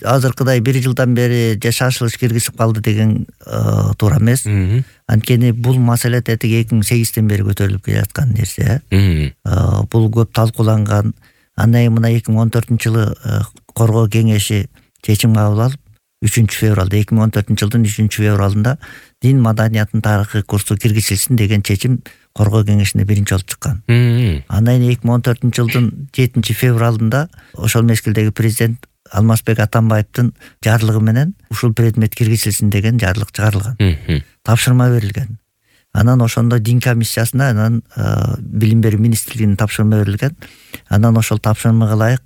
азыркыдай 1 жылдан бери же шашылыш киргизип калды деген туура эмес. Анткени бул маселе тетиги 2008-тен бери көтөрүлүп келаткан нерсе. Бул көп талкууланган. Андан кийин мына 2014-жылы коргоо кеңеши чечим кабыл алып 3-февралда 2014-жылдын 3-февралында дин маданиятынын тарыхый курсу киргизилсин деген чечим коргоо кеңешине биринчи болуп чыккан. Андан кийин 2014-жылдын 7-февралында ошол мезгилдеги президент Алмазбек Атамбаевдин жарлыгы менен ушул предмет киргизилсин деген жарлык чыгарылган. Тапшырма берилген. Анан ошондо дин комиссиясына, анан билим берүү министрлигине тапшырма берилген. Анан ошол тапшырмага ылайык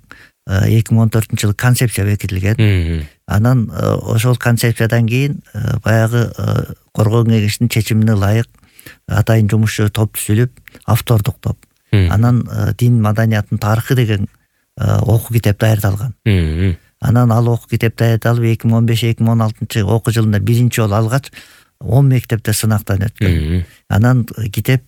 2014-жылы концепция бекитилген. Анан ошол концепциядан кийин баягы коргоо кеңешинин чечимине ылайык атайын жумушчу топ түзүлүп, автордук топ. Анан дин маданиятынын тарыхы деген окуу китеп даярдалган. Анан ал окуу китеп даярдалып 2015-2016 окуу жылында биринчи жолу алгач 10 мектепте сынактан өткөн. Анан китеп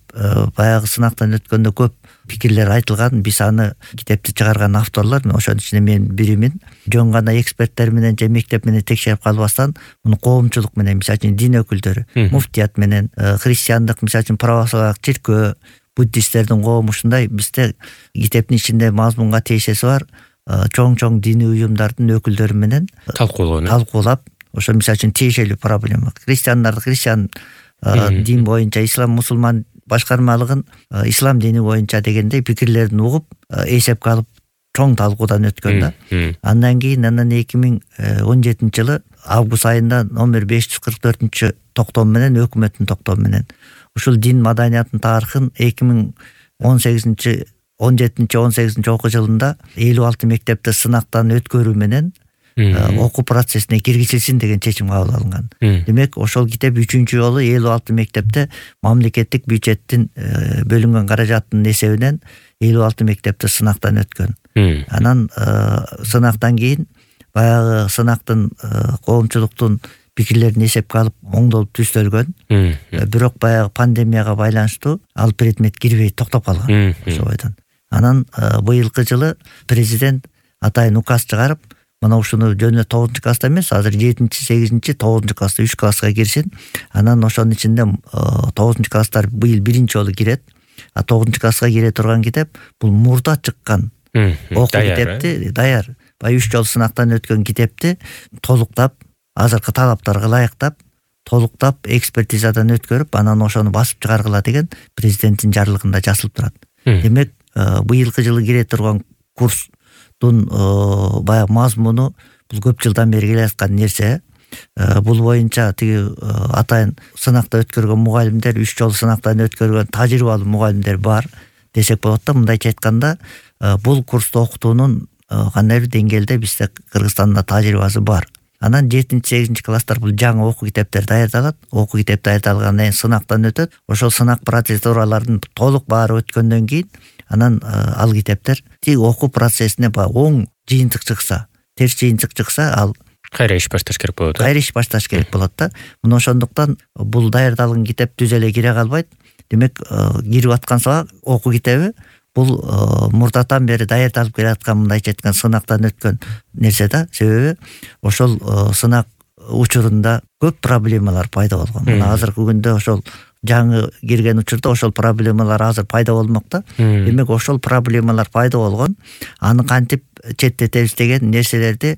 баягы сынактан өткөндө көп пикирлер айтылган. Биз аны китепти чыгарган авторлор, ошонун ичинде мен биримин. Жөн гана эксперттер менен же мектеп менен текшерип калбастан, муну коомчулук менен, мисалы үчүн дин өкүлдөрү, муфтият менен, христиандык, мисалы үчүн православиялык чиркөө, буддисттердин коому ушундай бизде китептин ичинде мазмунга тиешеси бар чоң диний уюмдардын өкүлдөрү менен талкуулап, ошо мисалы үчүн тиешелүү проблема. Христиан дин боюнча, ислам мусулман башкармалыгын ислам дини боюнча дегендей пикирлерин угуп, эсепке алып чоң талкуудан өткөн да. Андан кийин 2017-жылы август айында номер 544 токтом менен, өкмөттүн токтому менен ушул дин маданиятынын тарыхын 2017-18 окуу жылында 56 мектепте сынактан өткөрүү менен окуу процессине киргизилсин деген чечим кабыл алынган. Демек, ошол китеп 3-чү жолу 56 мектепте мамлекеттик бюджеттин бөлүнгөн каражаттын эсебинен 56 мектепте сынактан өткөн. Анан сынактан кийин баягы сынактын коомчулуктун пикирлерин эсепке алып оңдолуп түзөлгөн. Бирок баягы пандемияга байланыштуу ал предмет кирбей токтоп калган ошол бойдон. Анан быйылкы жылы президент атайын указ чыгарып, мына ушуну жөнүнө 9-класста эмес, азыр 7-8, 9-класста 3 класска кирсин. Анан ошонун ичинде 9-класстар быйыл биринчи жолу кирет. А 9-класска кире турган китеп бул мурда чыккан окуу китепти даяр. Бай 3 жолу сынактан өткөн китепти толуктап, азыркы талаптарга ылайыктап, толуктап, экспертизадан өткөрүп, анан ошону басып чыгаргыла деген президенттин жарлыгында жазылып турат. Демек, быйылкы жылы кире турган курстун баягы мазмуну бул көп жылдан бери келе аткан нерсе. Бул боюнча тиги атайын сынакта өткөргөн мугалимдер, 3 жолу сынактан өткөргөн тажрыйбалуу мугалимдер бар десек болот да. Мындайча айтканда, бул курсту окутуунун кандайбыр деңгээлде бизде Кыргызстанда тажрыйбасы бар. Анан 7-8 класстар бул жаңы окуу китептер даярдалат. Окуу китеп даярдалгандан кийин сынактан өтөт. Ошол сынак процедураларын толук баары өткөндөн кийин анан ал китептер тиги окуу процессине оң жыйынтык чыкса, терс жыйынтык чыкса, ал кайра иш башташ керек болот. Кайра иш башташ керек болот да. Мына ошондуктан бул даярдалган китеп түз эле кире калбайт. Демек, кирип аткан окуу китеби бул мурдатан бери даярдалып келаткан, мындайча айтканда, сынактан өткөн нерсе да. Себеби ошол сынак учурунда көп проблемалар пайда болгон. Мына азыркы күндө ошол жаңы кирген учурда ошол проблемалар азыр пайда болмокта. Демек, ошол проблемалар пайда болгон. Аны кантип четтетебиз деген нерселердин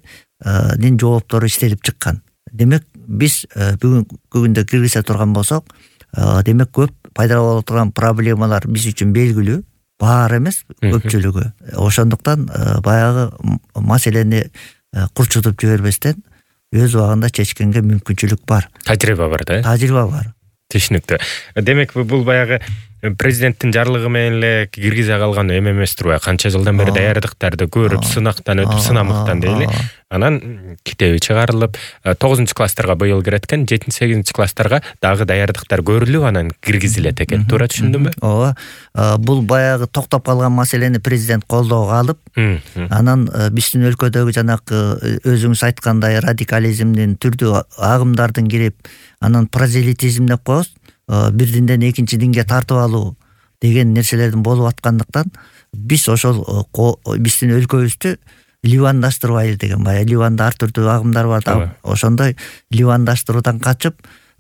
жооптору иштелип чыккан. Демек, биз бүгүнкү күндө киргизе турган болсок, демек көп пайда боло турган проблемалар биз үчүн белгилүү. Баары эмес, көпчүлүгү. Ошондуктан баягы маселени курчутуп жибербестен өз убагында чечкенге мүмкүнчүлүк бар. Тажрыйба бар да? Тажрыйба бар. Түшүнүктүү. Демек, бул баягы президенттин жарлыгы менен эле киргизе калган эме эмес турбайбы? Канча жылдан бери даярдыктарды көрүп, сынактан өтүп, сынамыктан дейли. Анан китеби чыгарылып, 9-класстарга быйыл кирет экен, 7-8 класстарга дагы даярдыктар көрүлүп, анан киргизилет экен. Туура түшүндүмбү? Ооба. Бул баягы токтоп калган маселени президент колдоого алып, анан биздин өлкөдөгү жанакы өзүңүз айткандай радикализмдин, түрдүү агымдардын кирип, анан прозелитизм деп коебуз, бир динден экинчи динге тартып алуу деген нерселердин болуп аткандыктан, биз ошол биздин өлкөбүздү ливандаштырбайлы деген баягы Ливанда ар түрдүү агымдар бар да, ошондой ливандаштыруудан качып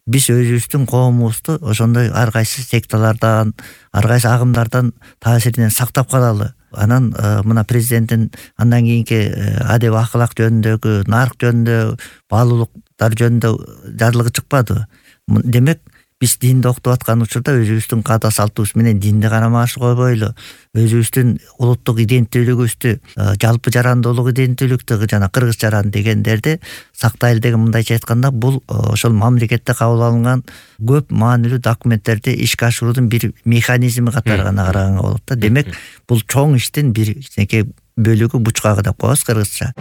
биз өзүбүздүн коомубузду ошондой ар кайсы секталардан, ар кайсы агымдардан таасиринен сактап калалы. Анан мына президенттин андан кийинки адеп акылак жөнүндөгү, нарк жөнүндө, баалуулуктар жөнүндө жарлыгы чыкпадыбы? Демек биз динди окутуп аткан учурда өзүбүздүн каада салтыбыз менен динди карама-каршы койбойлу, өзүбүздүн улуттук иденттүүлүгүбүздү, жалпы жарандуулук иденттүүлүктү жана кыргыз жаран дегендерди сактайлы деген, мындайча айтканда, бул ошол мамлекетте кабыл алынган көп маанилүү документтерди ишке ашыруунун бир механизми катары гана караганга болот да. Демек бул чоң иштин бир кичинекей бөлүгү, бучкагы деп коебуз кыргызча.